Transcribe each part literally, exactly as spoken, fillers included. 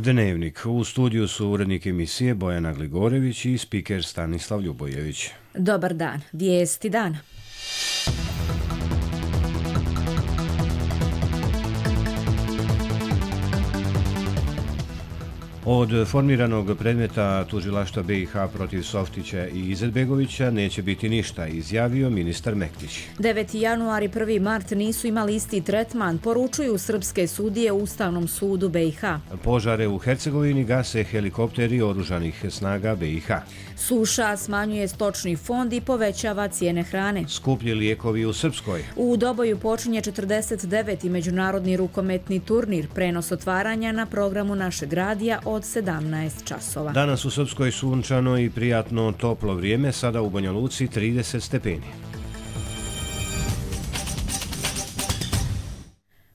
Dnevnik. U studiju su urednik emisije Bojana Gligorević i spiker Stanislav Ljubojević. Dobar dan. Vijesti dana. Od formiranog predmeta tužilaštva B i H protiv Softića i Izetbegovića neće biti ništa, izjavio ministar Mektić. deveti januar i prvi mart nisu imali isti tretman, poručuju srpske sudije u Ustavnom sudu B i H. Požare u Hercegovini gase helikopteri oružanih snaga B i H. Suša smanjuje stočni fond i povećava cijene hrane. Skuplji lijekovi u Srpskoj. U Doboju počinje četrdeset deveti međunarodni rukometni turnir, prenos otvaranja na programu našeg radija od sedamnaest časova. Danas u Srpskoj sunčano i prijatno toplo vrijeme, sada u Banja Luci trideset stepeni.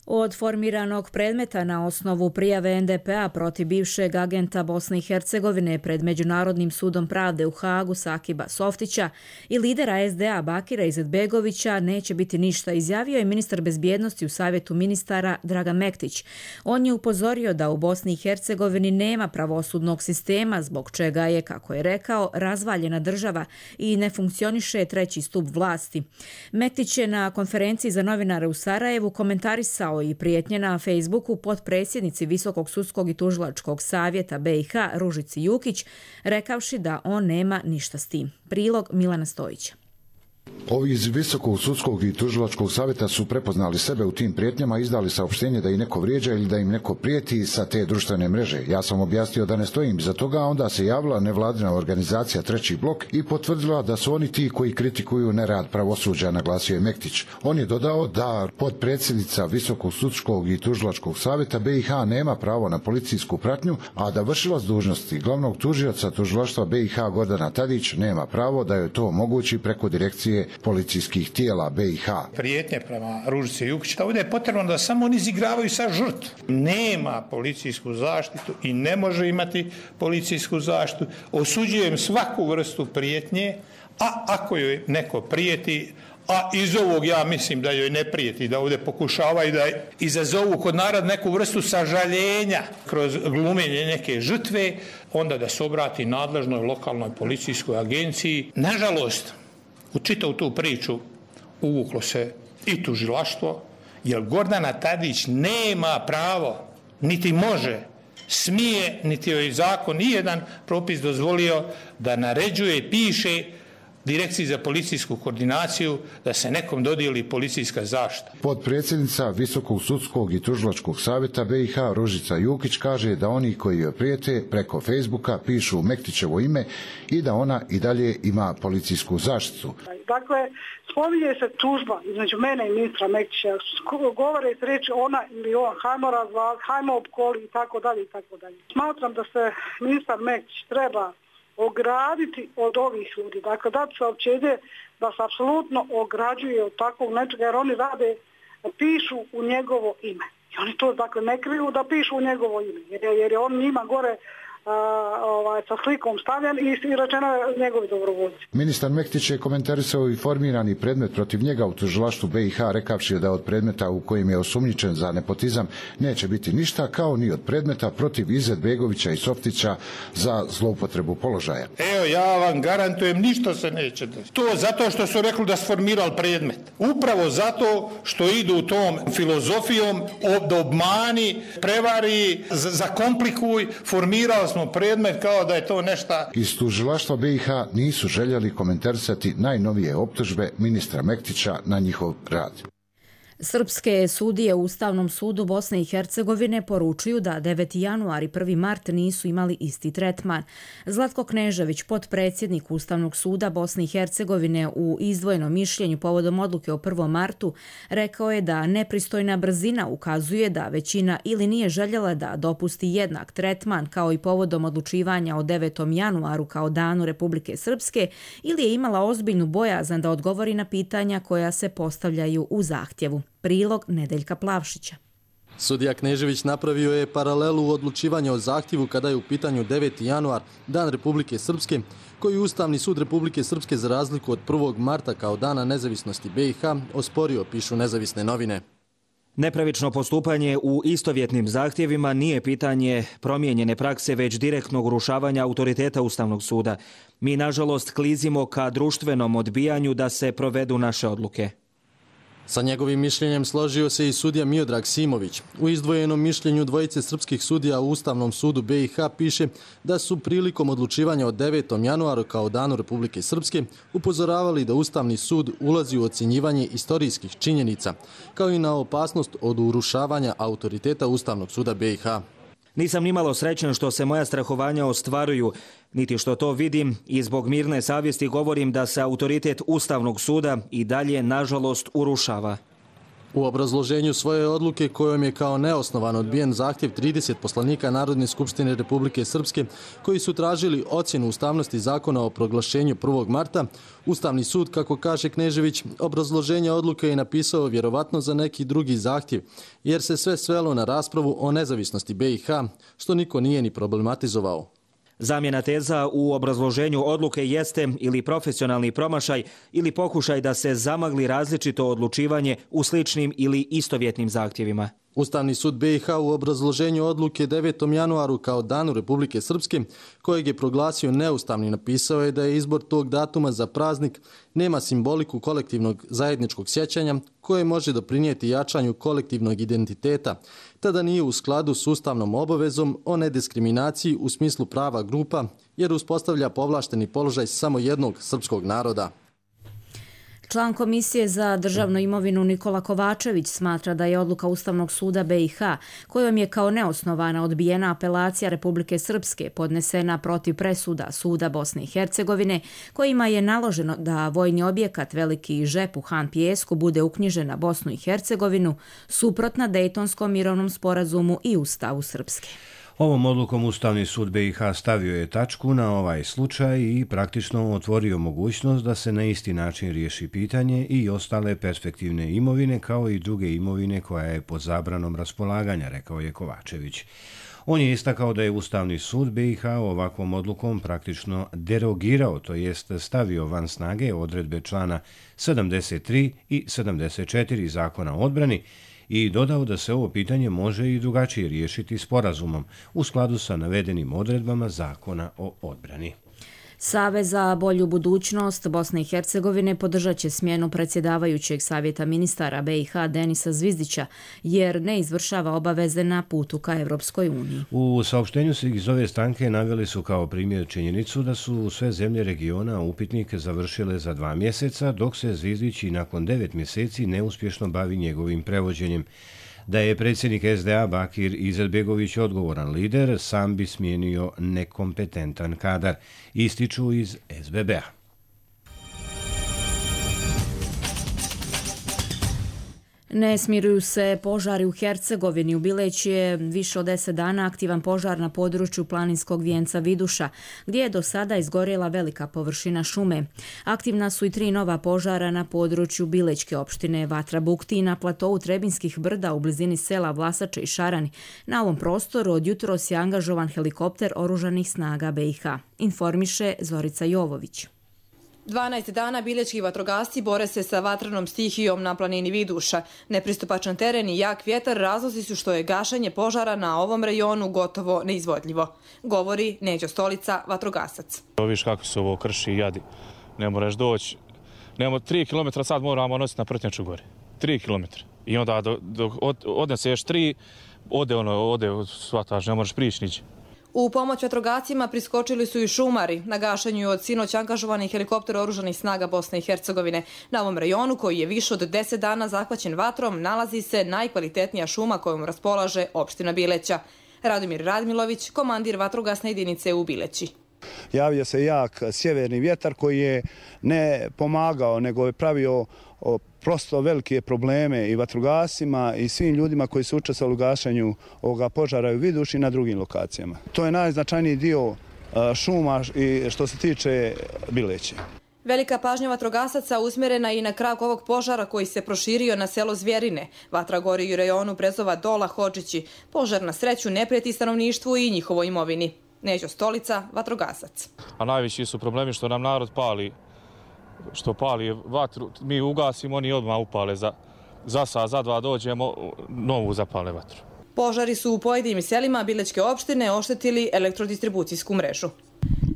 Od formiranog predmeta na osnovu prijave en de pe a protiv bivšeg agenta Bosne i Hercegovine pred Međunarodnim sudom pravde u Hagu Sakiba Softića i lidera es de a Bakira Izetbegovića neće biti ništa, izjavio je ministar bezbjednosti u Savjetu ministara Dragan Mektić. On je upozorio da u Bosni i Hercegovini nema pravosudnog sistema, zbog čega je, kako je rekao, razvaljena država i ne funkcioniše treći stup vlasti. Mektić je na konferenciji za novinare u Sarajevu komentarisao i prijetnje na Facebooku potpredsjednici Visokog sudskog i tužilačkog savjeta B i H Ružici Jukić, rekavši da on nema ništa s tim. Prilog Milana Stojića. Ovi iz Visokog sudskog i tužilačkog savjeta su prepoznali sebe u tim prijetnjama i izdali saopštenje da ih neko vrijeđa ili da im neko prijeti sa te društvene mreže. Ja sam objasnio da ne stojim iza toga, a onda se javila nevladina organizacija Treći blok i potvrdila da su oni ti koji kritikuju nerad pravosuđa, naglasio je Mektić. On je dodao da potpredsjednica Visokog sudskog i tužilačkog savjeta B i H nema pravo na policijsku pratnju, a da vršilac dužnosti glavnog tužioca tužilaštva B i H Gordana Tadić nema pravo da joj to omogući preko direkcije policijskih tijela B i H. Prijetnje prema Ružici Jukić, ovdje je potrebno da samo oni izigravaju sa žrtvu. Nema policijsku zaštitu i ne može imati policijsku zaštitu. Osuđujem svaku vrstu prijetnje, a ako joj neko prijeti, a iz ovog ja mislim da joj ne prijeti, da ovdje pokušavaju da izazovu kod naroda neku vrstu sažaljenja kroz glumenje neke žrtve, onda da se obrati nadležnoj lokalnoj policijskoj agenciji. Nažalost, u čitavu tu priču uvuklo se i tužilaštvo, jer Gordana Tadić nema pravo, niti može, smije, niti joj zakon nijedan propis dozvolio da naređuje i piše Direkciji za policijsku koordinaciju da se nekom dodijeli policijska zaštita. Potpredsjednica Visokog sudskog i tužilačkog savjeta B i H Ružica Jukić kaže da oni koji joj prijete preko Facebooka pišu Mektićevo ime i da ona i dalje ima policijsku zaštitu. Dakle, spominje se tužba između mene i ministra Mektića, govore se reći ona ili on, hajmo razvali, hajmo opkoli i tako dalje i tako dalje. Smatram da se ministar Mektić treba ograditi od ovih ljudi. Dakle, dati saopćenje da se apsolutno ograđuje od takvog nečega, jer oni rade, pišu u njegovo ime. I oni to, dakle, ne kriju da pišu u njegovo ime, jer je, jer je on njima gore a, ovaj, sa slikom stavljen i, i rečeno je njegovi dobrovoljci. Ministar Mektić je komentarisao i formirani predmet protiv njega u tužilaštvu B i H, rekavši da od predmeta u kojim je osumnjičen za nepotizam neće biti ništa, kao ni od predmeta protiv Izetbegovića i Softića za zloupotrebu položaja. Evo, ja vam garantujem, ništa se neće desiti. To zato što su rekli da su formirali predmet. Upravo zato što idu tom filozofijom da obmani, prevari, zakomplikuj, formirali smo predmet kao da je to nešto. Iz tužilaštva B i H nisu željeli komentarisati najnovije optužbe ministra Mektića na njihov rad. Srpske sudije u Ustavnom sudu Bosne i Hercegovine poručuju da deveti januar i prvi mart nisu imali isti tretman. Zlatko Knežević, potpredsjednik Ustavnog suda Bosne i Hercegovine, u izdvojenom mišljenju povodom odluke o prvom martu, rekao je da nepristojna brzina ukazuje da većina ili nije željela da dopusti jednak tretman kao i povodom odlučivanja o devetom januaru kao danu Republike Srpske, ili je imala ozbiljnu bojazan da odgovori na pitanja koja se postavljaju u zahtjevu. Prilog Nedeljka Plavšića. Sudija Knežević napravio je paralelu u odlučivanju o zahtjevu kada je u pitanju deveti januar, dan Republike Srpske, koji Ustavni sud Republike Srpske za razliku od prvog marta kao dana nezavisnosti B i H osporio, pišu nezavisne novine. Nepravično postupanje u istovjetnim zahtjevima nije pitanje promijenjene prakse, već direktnog urušavanja autoriteta Ustavnog suda. Mi, nažalost, klizimo ka društvenom odbijanju da se provedu naše odluke. Sa njegovim mišljenjem složio se i sudija Miodrag Simović. U izdvojenom mišljenju dvojice srpskih sudija u Ustavnom sudu be i ha piše da su prilikom odlučivanja od devetom januaru kao danu Republike Srpske upozoravali da Ustavni sud ulazi u ocjenjivanje istorijskih činjenica, kao i na opasnost od urušavanja autoriteta Ustavnog suda be i ha. Nisam nimalo srećan što se moja strahovanja ostvaruju, niti što to vidim, i zbog mirne savjesti govorim da se autoritet Ustavnog suda i dalje, nažalost, urušava. U obrazloženju svoje odluke kojom je kao neosnovan odbijen zahtjev trideset poslanika Narodne skupštine Republike Srpske koji su tražili ocjenu ustavnosti zakona o proglašenju prvog marta, Ustavni sud, kako kaže Knežević, obrazloženje odluke je napisao vjerovatno za neki drugi zahtjev, jer se sve svelo na raspravu o nezavisnosti be i ha, što niko nije ni problematizovao. Zamjena teza u obrazloženju odluke jeste ili profesionalni promašaj ili pokušaj da se zamagli različito odlučivanje u sličnim ili istovjetnim zahtjevima. Ustavni sud be i ha u obrazloženju odluke devetom januaru kao danu Republike Srpske, kojeg je proglasio neustavni, napisao je da je izbor tog datuma za praznik nema simboliku kolektivnog zajedničkog sjećanja koje može doprinijeti jačanju kolektivnog identiteta, tada nije u skladu s ustavnom obavezom o nediskriminaciji u smislu prava grupa, jer uspostavlja povlašteni položaj samo jednog srpskog naroda. Član Komisije za državnu imovinu Nikola Kovačević smatra da je odluka Ustavnog suda be i ha, kojom je kao neosnovana odbijena apelacija Republike Srpske podnesena protiv presuda Suda Bosne i Hercegovine, kojima je naloženo da vojni objekat Veliki žep u Han Pijesku bude uknjižen na Bosnu i Hercegovinu, suprotna Dejtonskom mirovnom sporazumu i Ustavu Srpske. Ovom odlukom Ustavni sud be i ha stavio je tačku na ovaj slučaj i praktično otvorio mogućnost da se na isti način riješi pitanje i ostale perspektivne imovine kao i druge imovine koja je pod zabranom raspolaganja, rekao je Kovačević. On je istakao da je Ustavni sud be i ha ovakvom odlukom praktično derogirao, to jest stavio van snage odredbe člana sedamdeset tri i sedamdeset četiri Zakona o odbrani, i dodao da se ovo pitanje može i drugačije riješiti sporazumom u skladu sa navedenim odredbama Zakona o odbrani. Savez za bolju budućnost Bosne i Hercegovine podržat će smjenu predsjedavajućeg savjeta ministara be i ha Denisa Zvizdića, jer ne izvršava obaveze na putu ka Evropskoj uniji. U saopštenju se iz ove stranke naveli su kao primjer činjenicu da su sve zemlje regiona upitnik završile za dva mjeseca, dok se Zvizdić i nakon devet mjeseci neuspješno bavi njegovim prevođenjem. Da je predsjednik es de a Bakir Izetbegović odgovoran lider, sam bi smijenio nekompetentan kadar, ističu iz es be be a. Ne smiruju se požari u Hercegovini. U Bileći je više od deset dana aktivan požar na području planinskog vijenca Viduša, gdje je do sada izgorjela velika površina šume. Aktivna su i tri nova požara na području Bilećke opštine Vatra Bukti i na platovu Trebinskih brda u blizini sela Vlasače i Šarani. Na ovom prostoru od jutros je angažovan helikopter oružanih snaga be i ha, informiše Zorica Jovović. dvanaest dana bilećki vatrogasci bore se sa vatrenom stihijom na planini Viduša. Nepristupačan teren i jak vjetar razlozi su što je gašenje požara na ovom rejonu gotovo neizvodljivo, govori Neđo Stolica, vatrogasac. Viš kako se ovo krši i jadi. Ne moraš doći. Nemo tri kilometra sad moramo nositi na Prtnjaču gore. tri kilometra. I onda dok od, odneseš tri, ode ono, ode svataž, ne moraš prići niđe. U pomoć vatrogascima priskočili su i šumari. Na gašenju je od sinoć angažovani helikopter oružanih snaga Bosne i Hercegovine. Na ovom rejonu, koji je više od deset dana zahvaćen vatrom, nalazi se najkvalitetnija šuma kojom raspolaže opština Bileća. Radomir Radmilović, komandir vatrogasne jedinice u Bileći. Javio se jak sjeverni vjetar koji je ne pomagao, nego je pravio prosto velike probleme i vatrogasima i svim ljudima koji su učestvovali u gašenju ovoga požara u Viduši i na drugim lokacijama. To je najznačajniji dio šuma i što se tiče Bileće. Velika pažnja vatrogasaca usmjerena i na krak ovog požara koji se proširio na selo Zvjerine. Vatra gori u rejonu Brezova Dola Hodžići. Požar na sreću ne prijeti stanovništvu i njihovoj imovini. Neđo Stolica, vatrogasac. A najveći su problemi što nam narod pali, što pali vatru, mi ugasimo, oni odmah upale za za sat, za dva dođemo, novu zapale vatru. Požari su u pojedinim selima Bilećke opštine oštetili elektrodistribucijsku mrežu.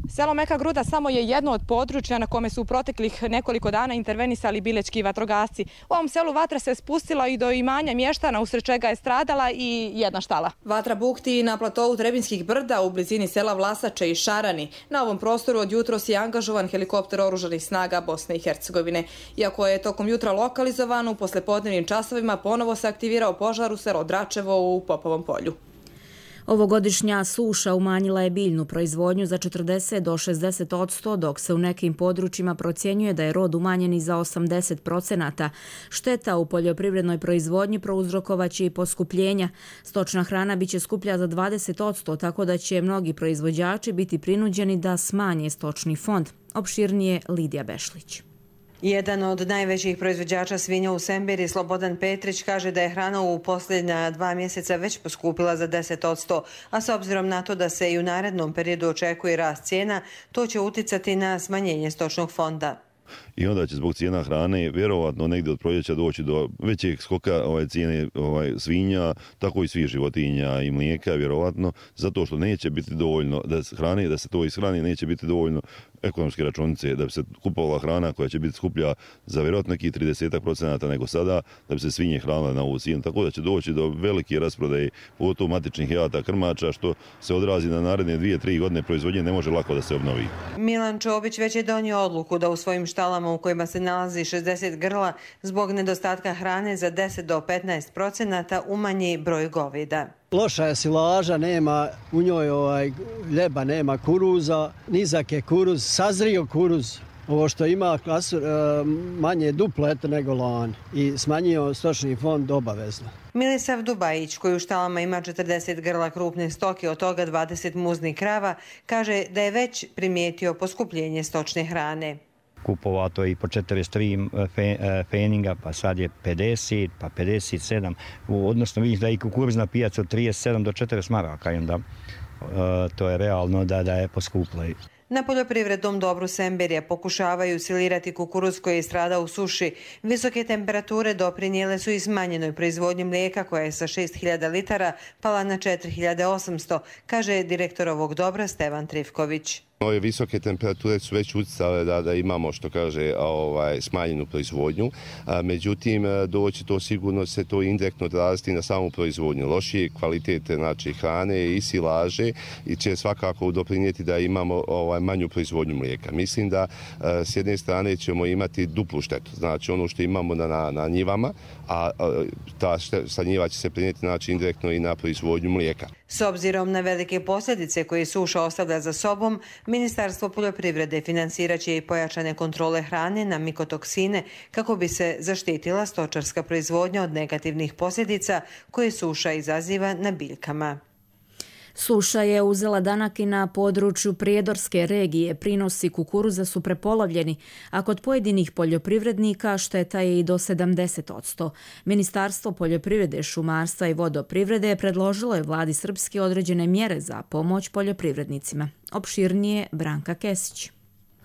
Selo Meka Gruda samo je jedno od područja na kome su u proteklih nekoliko dana intervenisali bilećki vatrogasci. U ovom selu vatra se spustila i do imanja mještana, usred čega je stradala i jedna štala. Vatra bukti na platovu Trebinskih brda u blizini sela Vlasače i Šarani. Na ovom prostoru od jutros je angažovan helikopter oružanih snaga Bosne i Hercegovine. Iako je tokom jutra lokalizovan, u poslepodnevnim časovima ponovo se aktivirao požar u selo Dračevo u Popovom polju. Ovogodišnja suša umanjila je biljnu proizvodnju za četrdeset do šezdeset posto, dok se u nekim područjima procjenjuje da je rod umanjen i za osamdeset procenata. Šteta u poljoprivrednoj proizvodnji prouzrokovaće i poskupljenja. Stočna hrana biće skuplja za dvadeset posto, tako da će mnogi proizvođači biti prinuđeni da smanje stočni fond. Opširnije Lidija Bešlić. Jedan od najvećih proizvođača svinja u Sembiri, Slobodan Petrić, kaže da je hrana u posljednja dva mjeseca već poskupila za deset posto, a s obzirom na to da se i u narednom periodu očekuje rast cijena, to će uticati na smanjenje stočnog fonda. I onda će zbog cijena hrane vjerovatno negdje od proljeća doći do većeg skoka ovaj, cijene ovaj, svinja, tako i svih životinja i mlijeka vjerovatno, zato što neće biti dovoljno da hrane, da se to ishrani, neće biti dovoljno ekonomske računice, da bi se kupovala hrana koja će biti skuplja za vjerojatno nekih trideset procenata nego sada, da bi se svinje hranile na ovu cijenu, tako da će doći do velike rasprodaje pogotovo matičnih jata krmača, što se odrazi na naredne dvije, tri godine proizvodnje ne može lako da se obnovi. Milan Čobić već je donio odluku da u svojim štalama u kojima se nalazi šezdeset grla zbog nedostatka hrane za deset do petnaest procenata umanji broj goveda. Loša je silaža, nema u njoj ovaj, ljeba, nema kuruza, nizak je kuruz, sazrio kuruz. Ovo što ima klasu, manje duplet nego lani i smanjio stočni fond obavezno. Milisav Dubajić, koji u štalama ima četrdeset grla krupne stoke, od toga dvadeset muznih krava, kaže da je već primijetio poskupljenje stočne hrane. Kupovato je i po četrdeset tri feninga, pa sad je pedeset, pa pedeset sedam. Odnosno vidiš da je i kukuruzna pijaca od trideset sedam do četrdeset maraka i onda uh, to je realno da, da je poskuplo. Na poljoprivrednom dobru Semberija pokušavaju silirati kukuruz koji je stradao u suši. Visoke temperature doprinijele su i smanjenoj proizvodnji mlijeka koja je sa šest hiljada litara pala na četiri hiljade osamsto, kaže direktor ovog dobra Stevan Trifković. Ove visoke temperature su već utjecale da, da imamo, što kaže, ovaj, smanjenu proizvodnju. A, međutim, doći to sigurno se to indirektno odraziti na samu proizvodnju. Lošije kvalitete znači, hrane i silaže i će svakako doprinijeti da imamo ovaj, manju proizvodnju mlijeka. Mislim da a, s jedne strane ćemo imati duplu štetu. Znači ono što imamo na, na, na njivama, a, a ta sa njiva će se prinijeti znači, indirektno i na proizvodnju mlijeka. S obzirom na velike posljedice koje suša ostavlja za sobom, Ministarstvo poljoprivrede financirat će i pojačane kontrole hrane na mikotoksine kako bi se zaštitila stočarska proizvodnja od negativnih posljedica koje suša izaziva na biljkama. Suša je uzela danak i na području Prijedorske regije. Prinosi kukuruza su prepolovljeni, a kod pojedinih poljoprivrednika šteta je i do sedamdeset posto. Ministarstvo poljoprivrede, šumarstva i vodoprivrede predložilo je vladi Srpske određene mjere za pomoć poljoprivrednicima. Opširnije Branka Kesić.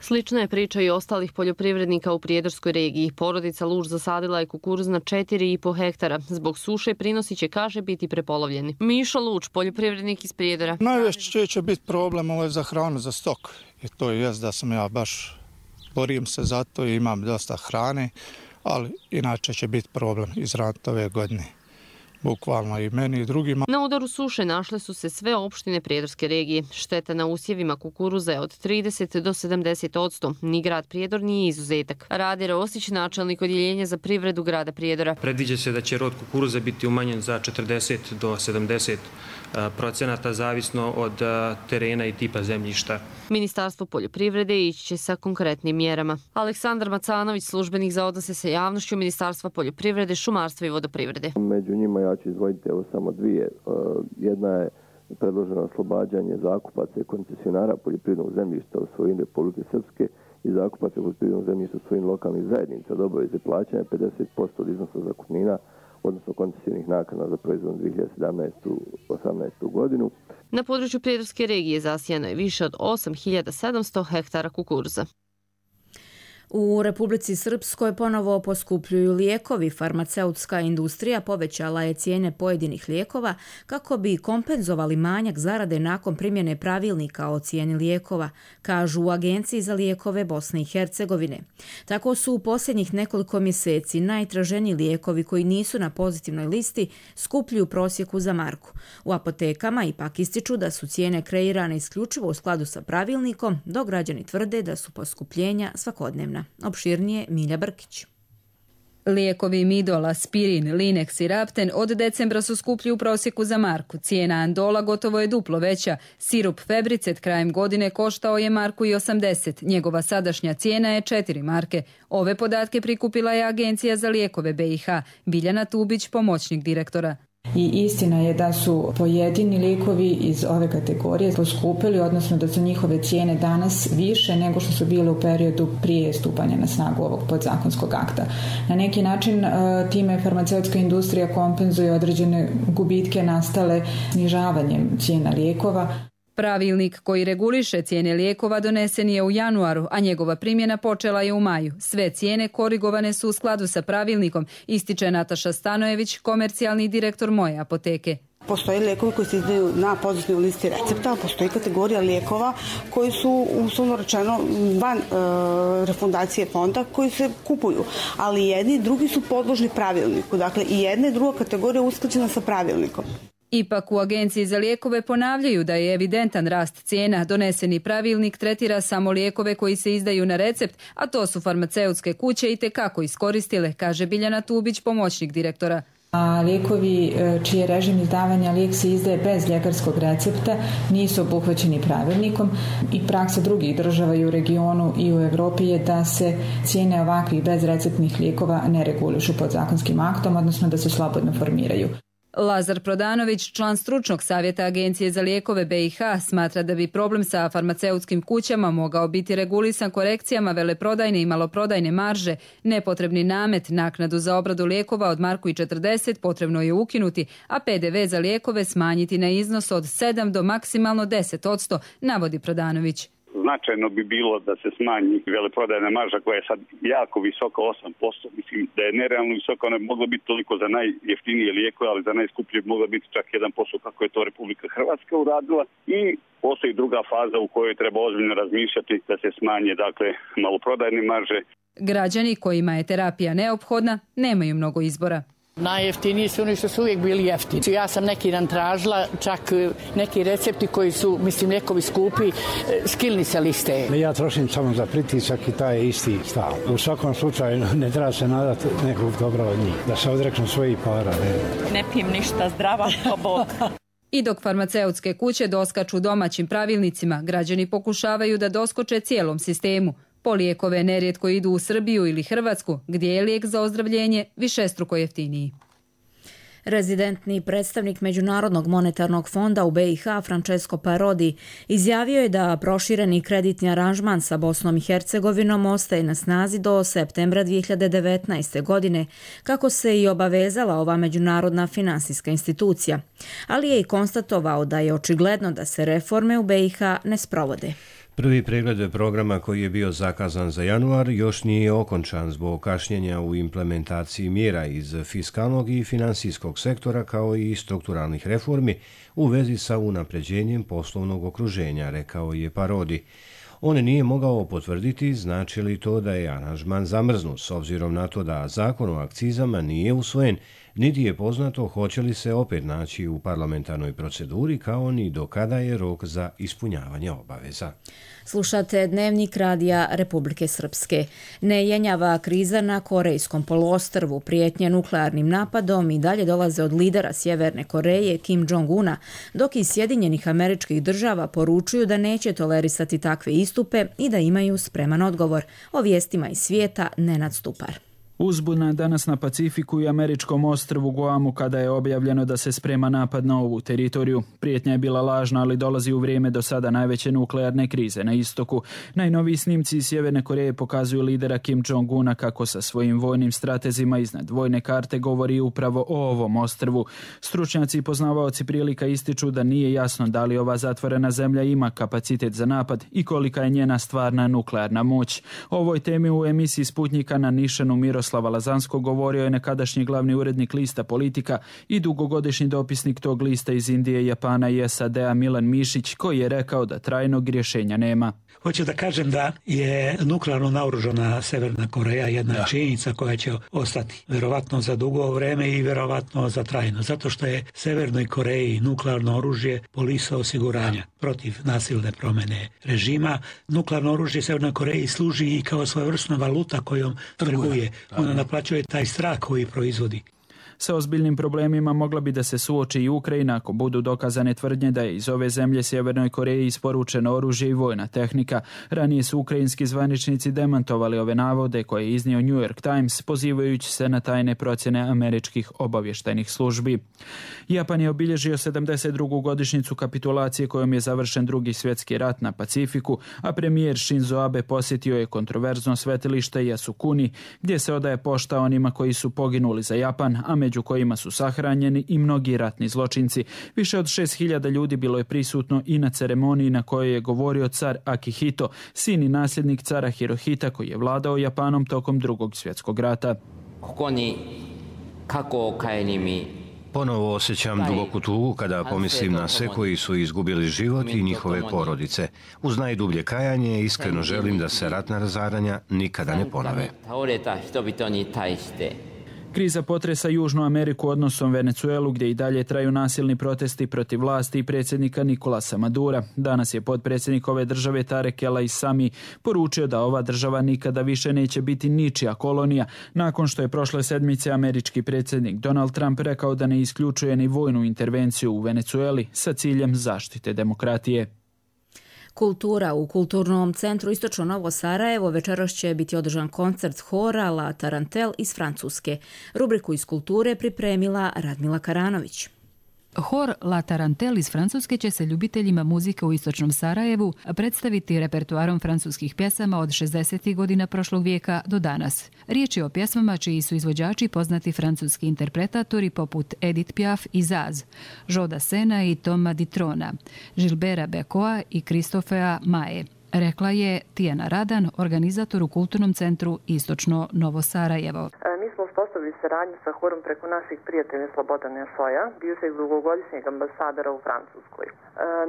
Slična je priča i ostalih poljoprivrednika u Prijedorskoj regiji. Porodica Luž zasadila je kukuruz na četiri i po hektara. Zbog suše prinosi će, kaže, biti prepolovljeni. Mišo Luč, poljoprivrednik iz Prijedora. Najveće će biti problem ovo za hranu, za stok. I to je jest da sam ja baš borim se za to i imam dosta hrane, ali inače će biti problem izraditi ove godine. Bukvalno i meni i drugima. Na udaru suše našle su se sve opštine Prijedorske regije. Šteta na usjevima kukuruza je od trideset do sedamdeset posto. Ni grad Prijedor nije izuzetak. Rade Rosić, načelnik odjeljenja za privredu grada Prijedora. Predviđa se da će rod kukuruza biti umanjen za četrdeset do sedamdeset procenata, zavisno od terena i tipa zemljišta. Ministarstvo poljoprivrede ići će sa konkretnim mjerama. Aleksandar Macanović, službenik za odnose sa javnošću Ministarstva poljoprivrede, šumarstva i vodoprivrede. Među njima ja ću izdvojiti evo samo dvije. Jedna je predloženo oslobađanje zakupaca i koncesionara poljoprivrednog zemljišta u svojini Republike Srpske i zakupaca poljoprivrednog zemljišta u svojim lokalnih zajednica od obaveze plaćanja pedeset posto od iznosa zakupnina, odnosno koncesijnih naknada za proizvodnu dvije hiljade sedamnaestu do osamnaestu godinu. Na području Prijedorske regije zasijano je više od osam hiljada sedamsto hektara kukuruza. U Republici Srpskoj ponovo poskupljuju lijekovi. Farmaceutska industrija povećala je cijene pojedinih lijekova kako bi kompenzovali manjak zarade nakon primjene pravilnika o cijeni lijekova, kažu u Agenciji za lijekove Bosne i Hercegovine. Tako su u posljednjih nekoliko mjeseci najtraženiji lijekovi koji nisu na pozitivnoj listi skuplji u prosjeku za marku. U apotekama ipak ističu da su cijene kreirane isključivo u skladu sa pravilnikom, dok građani tvrde da su poskupljenja svakodnevna. Opširnije Milja Brkić. Lijekovi Midol, Aspirin, Linex i Rapten od decembra su skuplji u prosjeku za marku. Cijena Andola gotovo je duplo veća. Sirup Febricet krajem godine koštao je marku i osamdeset. Njegova sadašnja cijena je četiri marke. Ove podatke prikupila je Agencija za lijekove B i H. Biljana Tubić, pomoćnik direktora. I istina je da su pojedini lijekovi iz ove kategorije poskupili, odnosno da su njihove cijene danas više nego što su bile u periodu prije stupanja na snagu ovog podzakonskog akta. Na neki način time farmaceutska industrija kompenzuje određene gubitke nastale snižavanjem cijena lijekova. Pravilnik koji reguliše cijene lijekova donesen je u januaru, a njegova primjena počela je u maju. Sve cijene korigovane su u skladu sa pravilnikom, ističe Nataša Stanojević, komercijalni direktor Moje apoteke. Postoje lijekovi koji se izdaju na pozitivnoj listi recepta, postoji kategorija lijekova koji su, uslovno rečeno, van e, refundacije fonda koji se kupuju, ali jedni i drugi su podložni pravilniku. Dakle, i jedna i druga kategorija usklađena sa pravilnikom. Ipak u Agenciji za lijekove ponavljaju da je evidentan rast cijena. Doneseni pravilnik tretira samo lijekove koji se izdaju na recept, a to su farmaceutske kuće i tekako iskoristile, kaže Biljana Tubić, pomoćnik direktora. A lijekovi čiji režim izdavanja lijek se izdaje bez ljekarskog recepta nisu obuhvaćeni pravilnikom i praksa drugih država i u regionu i u Europi je da se cijene ovakvih bezreceptnih lijekova ne regulišu podzakonskim aktom, odnosno da se slobodno formiraju. Lazar Prodanović, član stručnog savjeta Agencije za lijekove B i H, smatra da bi problem sa farmaceutskim kućama mogao biti regulisan korekcijama veleprodajne i maloprodajne marže. Nepotrebni namet, naknadu za obradu lijekova od marku i četrdeset potrebno je ukinuti, a P D V za lijekove smanjiti na iznos od sedam do maksimalno deset posto, navodi Prodanović. Značajno bi bilo da se smanji veleprodajna marža koja je sad jako visoka, osam posto. Mislim da je nerealno visoka, ona bi mogla biti toliko za najjeftinije lijekove, ali za najskuplje bi mogla biti čak jedan posto kako je to Republika Hrvatska uradila. I postoji druga faza u kojoj treba ozbiljno razmišljati da se smanje, dakle, maloprodajne marže. Građani kojima je terapija neophodna nemaju mnogo izbora. Najjeftiniji su oni što su uvijek bili jeftini. Ja sam neki dan tražila, čak neki recepti koji su, mislim, lijekovi skupi, skilni se liste. Ja trošim samo za pritisak i taj je isti stav. U svakom slučaju ne treba se nadati nekog dobra od njih, da se odreknu svojih para. Ne, ne pijem ništa zdrava, pa Bog. I dok farmaceutske kuće doskaču domaćim pravilnicima, građani pokušavaju da doskoče cijelom sistemu. Po lijekove nerijetko idu u Srbiju ili Hrvatsku, gdje je lijek za ozdravljenje višestruko jeftiniji. Rezidentni predstavnik Međunarodnog monetarnog fonda u B i H Francesco Parodi izjavio je da prošireni kreditni aranžman sa Bosnom i Hercegovinom ostaje na snazi do septembra dvije hiljade devetnaeste. godine, kako se i obavezala ova međunarodna finansijska institucija. Ali je i konstatovao da je očigledno da se reforme u B i H ne sprovode. Prvi pregled programa koji je bio zakazan za januar još nije okončan zbog kašnjenja u implementaciji mjera iz fiskalnog i finansijskog sektora kao i strukturalnih reformi u vezi sa unapređenjem poslovnog okruženja, rekao je Parodi. On nije mogao potvrditi znači li to da je aranžman zamrznut s obzirom na to da zakon o akcizama nije usvojen, niti je poznato hoće li se opet naći u parlamentarnoj proceduri kao ni do kada je rok za ispunjavanje obaveza. Slušate Dnevnik radija Republike Srpske. Nejenjava kriza na Korejskom poluostrvu, prijetnje nuklearnim napadom i dalje dolaze od lidera Sjeverne Koreje Kim Jong-una, dok iz Sjedinjenih Američkih Država poručuju da neće tolerisati takve istupe i da imaju spreman odgovor. O vijestima iz svijeta Nenad Stupar. Uzbuna danas na Pacifiku i američkom ostrvu Guamu kada je objavljeno da se sprema napad na ovu teritoriju. Prijetnja je bila lažna, ali dolazi u vrijeme do sada najveće nuklearne krize na istoku. Najnoviji snimci iz Sjeverne Koreje pokazuju lidera Kim Jong-una kako sa svojim vojnim stratezima iznad vojne karte govori upravo o ovom ostrvu. Stručnjaci i poznavaoci prilika ističu da nije jasno da li ova zatvorena zemlja ima kapacitet za napad i kolika je njena stvarna nuklearna moć. O ovoj temi u emisiji Sputnjika na Nišanu Miroslava Lazansko govorio je nekadašnji glavni urednik lista Politika i dugogodišnji dopisnik tog lista iz Indije, Japana i S A D-a Milan Mišić, koji je rekao da trajnog rješenja nema. Hoću da kažem da je nuklearno naoružana Severna Koreja jedna ja. činjenica koja će ostati verovatno za dugo vreme i verovatno za trajno, zato što je Severnoj Koreji nuklearno oružje polisa osiguranja protiv nasilne promjene režima. Nuklearno oružje Severnoj Koreji služi i kao svojevrsna valuta kojom trguje. Ona naplaćuje taj strah koji proizvodi. Sa ozbiljnim problemima mogla bi da se suoči i Ukrajina ako budu dokazane tvrdnje da je iz ove zemlje Sjevernoj Koreji isporučeno oružje i vojna tehnika. Ranije su ukrajinski zvaničnici demantovali ove navode koje je iznio New York Times, pozivajući se na tajne procjene američkih obavještajnih službi. Japan je obilježio sedamdeset drugu godišnjicu kapitulacije kojom je završen drugi svjetski rat na Pacifiku, a premijer Shinzo Abe posjetio je kontroverzno svetilište Yasukuni, gdje se odaje pošta onima koji su poginuli za Japan, a među kojima su sahranjeni i mnogi ratni zločinci. Više od šest hiljada ljudi bilo je prisutno i na ceremoniji na kojoj je govorio car Akihito, sin i nasljednik cara Hirohita koji je vladao Japanom tokom drugog svjetskog rata. Ponovo osjećam duboku tugu kada pomislim na sve koji su izgubili život i njihove porodice. Uz najdublje kajanje iskreno želim da se ratna razaranja nikada ne ponove. Kriza potresa Južnu Ameriku odnosom Venecuelu, gdje i dalje traju nasilni protesti protiv vlasti i predsjednika Nicolasa Madura. Danas je potpredsjednik ove države Tarek El Aissami poručio da ova država nikada više neće biti ničija kolonija, nakon što je prošle sedmice američki predsjednik Donald Trump rekao da ne isključuje ni vojnu intervenciju u Venecueli sa ciljem zaštite demokratije. Kultura. U Kulturnom centru Istočno Novo Sarajevo večeras će biti održan koncert hora La Tarantel iz Francuske. Rubriku iz kulture pripremila Radmila Karanović. Hor La Tarantel iz Francuske će se ljubiteljima muzike u Istočnom Sarajevu predstaviti repertuarom francuskih pjesama od šezdesetih godina prošlog vijeka do danas. Riječ je o pjesmama čiji su izvođači poznati francuski interpretatori poput Edith Piaf i Zaz, Joda Sena i Toma Ditrona, Gilbera Becoa i Kristofea Mae. Rekla je Tijana Radan, organizator u Kulturnom centru Istočno Novo Sarajevo. Mi smo uspostavili saradnju sa horom preko naših prijatelja Slobodana Šoja, bivšeg dugogodišnjeg ambasadora u Francuskoj.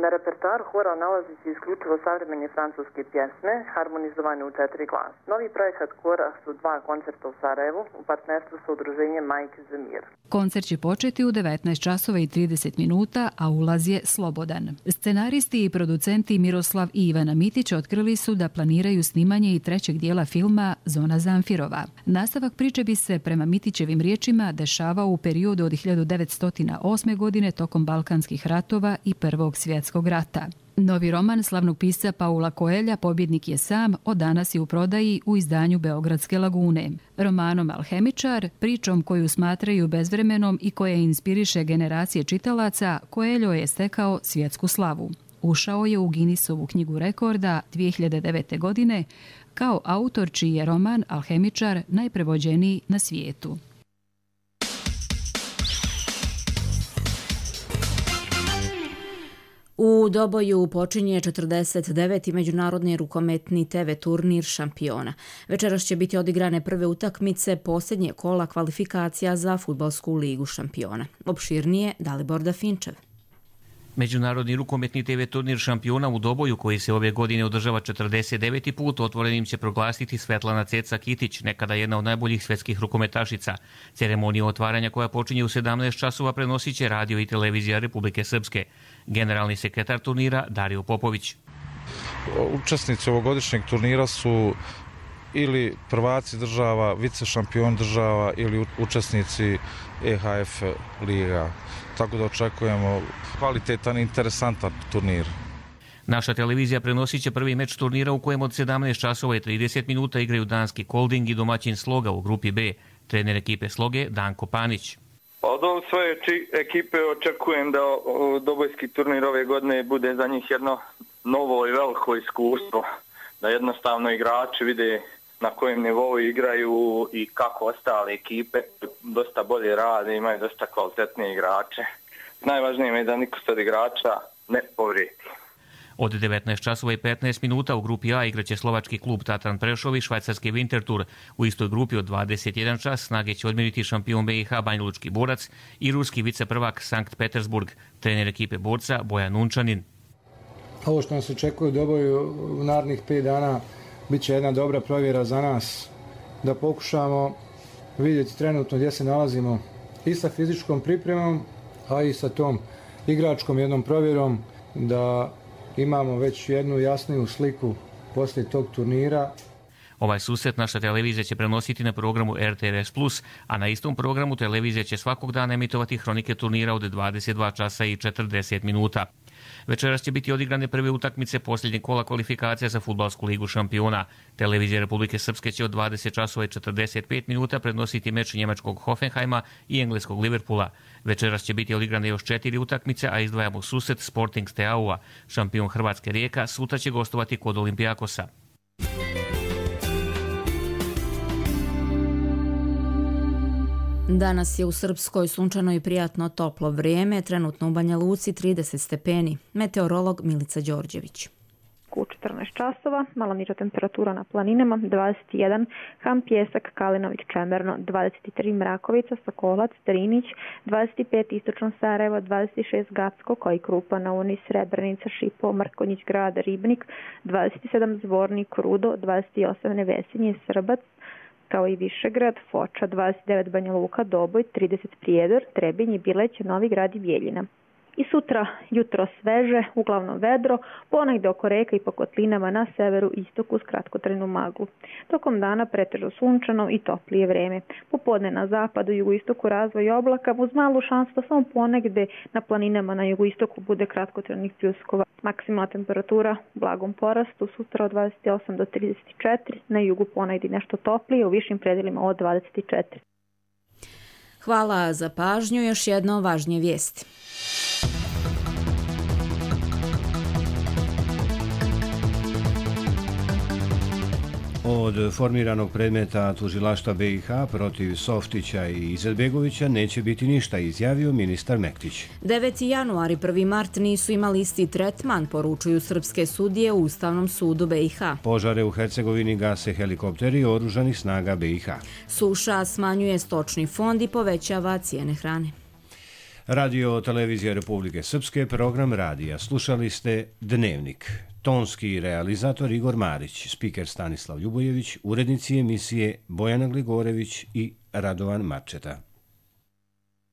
Na repertoaru hora nalazi se isključivo savremene francuske pjesme, harmonizovane u četiri glasa. Novi projekat hora su dva koncerta u Sarajevu u partnerstvu sa udruženjem Majke za mir. Koncert će početi u devetnaest časova i trideset minuta, a ulaz je slobodan. Scenaristi i producenti Miroslav i Ivana Mitić otkrili su da planiraju snimanje i trećeg dijela filma Zona Zamfirova. Nastavak priče bi se, prema Mitićevim riječima, dešavao u periodu od hiljadu devetsto osme. godine tokom Balkanskih ratova i Prvog svjetskog rata. Novi roman slavnog pisca Paula Coelha, Pobjednik je sam, od danas je u prodaji u izdanju Beogradske lagune. Romanom Alhemičar, pričom koju smatraju bezvremenom i koja inspiriše generacije čitalaca, Coelho je stekao svjetsku slavu. Ušao je u Guinnessovu knjigu rekorda dvije hiljade devete. godine kao autor čiji je roman Alhemičar najprevođeniji na svijetu. U Doboju počinje četrdeset deveti međunarodni rukometni te ve turnir šampiona. Večeras će biti odigrane prve utakmice posljednje kola kvalifikacija za fudbalsku ligu šampiona. Opširnije Dalibor Dafinčev. Međunarodni rukometni te ve turnir šampiona u Doboju, koji se ove godine održava četrdeset deveti put, otvorenim će proglasiti Svetlana Ceca Kitić, nekada jedna od najboljih svjetskih rukometašica. Ceremoniju otvaranja, koja počinje u sedamnaest časova, prenosit će radio i televizija Republike Srpske. Generalni sekretar turnira Dario Popović. Učesnici ovogodišnjeg turnira su ili prvaci država, vice šampion država ili učesnici E H F liga. Tako da očekujemo kvalitetan i interesantan turnir. Naša televizija prenosit će prvi meč turnira u kojem od sedamnaest časova i trideset minuta igraju danski Kolding i domaćin Sloga u grupi B. Trener ekipe Sloge Danko Panić. Od ove svoje ekipe očekujem da dobojski turnir ove godine bude za njih jedno novo i veliko iskustvo. Da jednostavno igrači vide na kojem nivou igraju i kako ostale ekipe dosta bolje rade, imaju dosta kvalitetnije igrače. Najvažnije je da niko od igrača ne povrijedi. Od devetnaest časova i petnaest minuta u grupi A igraće slovački klub Tatran Prešov i švajcarski Winterthur. U istoj grupi od dvadeset jedan čas snage će odmjeriti šampion B i H Banjalučki Borac i ruski viceprvak Sankt Petersburg, trener ekipe Borca Bojan Unčanin. Ovo što nas očekuje u doboju u narednih pet dana bit će jedna dobra provjera za nas, da pokušamo vidjeti trenutno gdje se nalazimo i sa fizičkom pripremom, a i sa tom igračkom jednom provjerom, da imamo već jednu jasniju sliku poslije tog turnira. Ovaj susret naša televizija će prenositi na programu R T R S plus, a na istom programu televizija će svakog dana emitovati hronike turnira od dvadeset dva časa i četrdeset minuta. Večeras će biti odigrane prve utakmice posljednjeg kola kvalifikacija za Fudbalsku ligu šampiona. Televizija Republike Srpske će od dvadeset časova i četrdeset pet minuta prenositi meč njemačkog Hoffenheima i engleskog Liverpoola. Večeras će biti odigrane još četiri utakmice, a izdvajamo susret Sporting Steaua. Šampion Hrvatske Rijeka sutra će gostovati kod Olimpijakosa. Danas je u Srpskoj sunčano i prijatno toplo vrijeme, trenutno u Banja Luci trideset stepeni. Meteorolog Milica Đorđević. U četrnaest časova, malo niža temperatura na planinama, dvadeset jedan, Ham, Pjesak, Kalinović, Čemerno, dvadeset tri, Mrakovica, Sokolac, Drinić, dvadeset pet, Istočno Sarajevo, dvadeset šest, Gacko, Koji Krupa, Nauni, Srebrenica, Šipo, Mrkonjić, Grad, Ribnik, dvadeset sedam, Zvornik, Rudo, dvadeset osam, Nevesinje, Srbac, kao i Višegrad, Foča, dvadeset devet, Banja Luka, Doboj, trideset, Prijedor, Trebinj, Bileć, Novi Grad i Bijeljina. I sutra jutro sveže, uglavnom vedro, ponegde oko reka i po kotlinama na severu i istoku s kratkotrajnu maglu. Tokom dana pretežno sunčano i toplije vreme. Popodne na zapadu i jugoistoku razvoj oblaka uz malu šansu da samo ponegde na planinama na jugoistoku bude kratkotrajnih pljuskova. Maksimalna temperatura u blagom porastu sutra od dvadeset osam do trideset četiri, na jugu ponegde nešto toplije, u višim predelima od dvadeset četiri. Hvala za pažnju, još jedno važnije vijesti. Od formiranog predmeta tužilaštva B i H protiv Softića i Izetbegovića neće biti ništa, izjavio ministar Mektić. deveti januar i prvi mart nisu imali isti tretman, poručuju srpske sudije u Ustavnom sudu B i H. Požare u Hercegovini gase helikopteri oružanih snaga B i H. Suša smanjuje stočni fond i povećava cijene hrane. Radio Televizija Republike Srpske, program radija. Slušali ste Dnevnik. Tonski realizator Igor Marić, spiker Stanislav Ljubojević, urednici emisije Bojana Gligorević i Radovan Marčeta.